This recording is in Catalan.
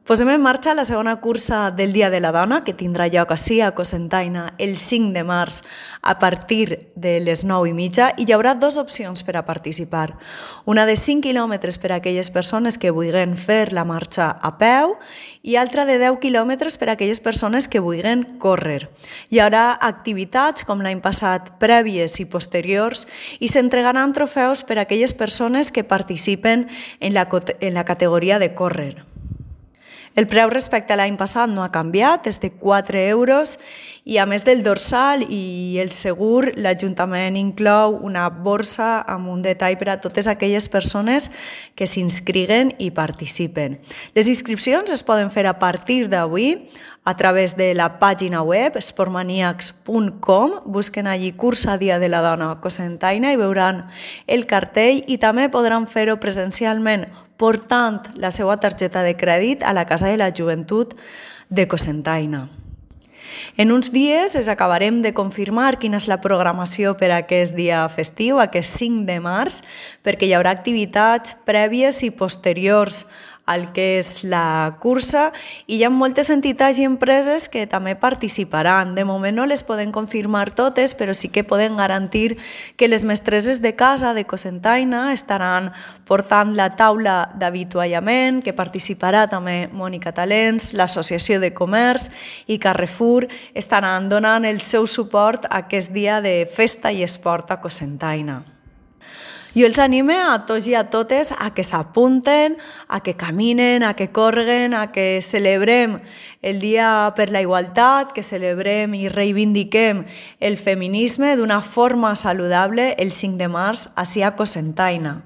Posem en marxa la segona cursa del Dia de la Dona, que tindrà lloc ací a Cocentaina el 5 de març a partir de les 9:30, i hi haurà dues opcions per a participar. Una de 5 quilòmetres per a aquelles persones que vulguin fer la marxa a peu i altra de 10 quilòmetres per a aquelles persones que vulguin córrer. Hi haurà activitats com l'any passat prèvies i posteriors i s'entregaran trofeus per a aquelles persones que participen en la categoria de córrer. El preu respecte a l'any passat no ha canviat, és de 4 euros i a més del dorsal i el segur, l'Ajuntament inclou una borsa amb un detall per a totes aquelles persones que s'inscriguen i participen. Les inscripcions es poden fer a partir d'avui a través de la pàgina web sportmaniacs.com, busquen allí Cursa Dia de la Dona a Cocentaina i veuran el cartell, i també podran fer-ho presencialment portant la seva targeta de crèdit a la Casa de la Joventut de Cocentaina. En uns dies es acabarem de confirmar quina és la programació per a aquest dia festiu, aquest 5 de març, perquè hi haurà activitats prèvies i posteriors al que és la cursa, i hi ha moltes entitats i empreses que també participaran. De moment no les podem confirmar totes, però sí que podem garantir que les mestresses de casa de Cocentaina estaran portant la taula d'avituallament, que participarà també Mònica Talents, l'Associació de Comerç i Carrefour estaran donant el seu suport a aquest dia de festa i esport a Cocentaina. Jo els anime a tots i a totes a que s'apunten, a que caminen, a que correguen, a que celebrem el Dia per la Igualtat, que celebrem i reivindiquem el feminisme d'una forma saludable el 5 de març ací a Cocentaina.